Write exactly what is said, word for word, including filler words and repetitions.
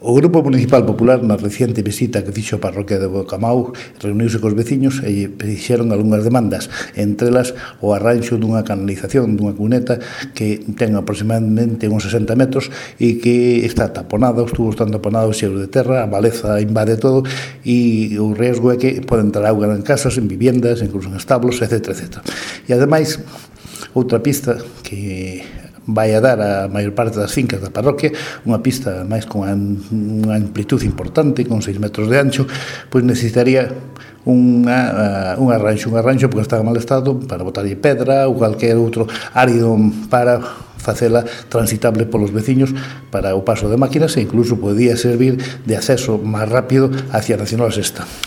O Grupo Municipal Popular, na reciente visita que fixo a parroquia de Bocamau, reuniuse cos veciños e fixeron algunhas demandas, entre elas o arranxo dunha canalización, dunha cuneta que ten aproximadamente uns sesenta metros e que está taponada, os tubos están taponados xeos de terra, a maleza invade todo e o riesgo é que pode entrar auga en casas, en viviendas, incluso en establos, etcétera, etcétera. E ademais, outra pista que vai a dar a maior parte das fincas da parroquia, unha pista máis con unha amplitude importante, con seis metros de ancho, pois necesitaría unha, un arranxo, un arranxo porque está en mal estado para botarlle pedra ou calquer outro árido para facela transitable polos veciños para o paso de máquinas e incluso podía servir de acceso máis rápido hacia a Nacional Sexta.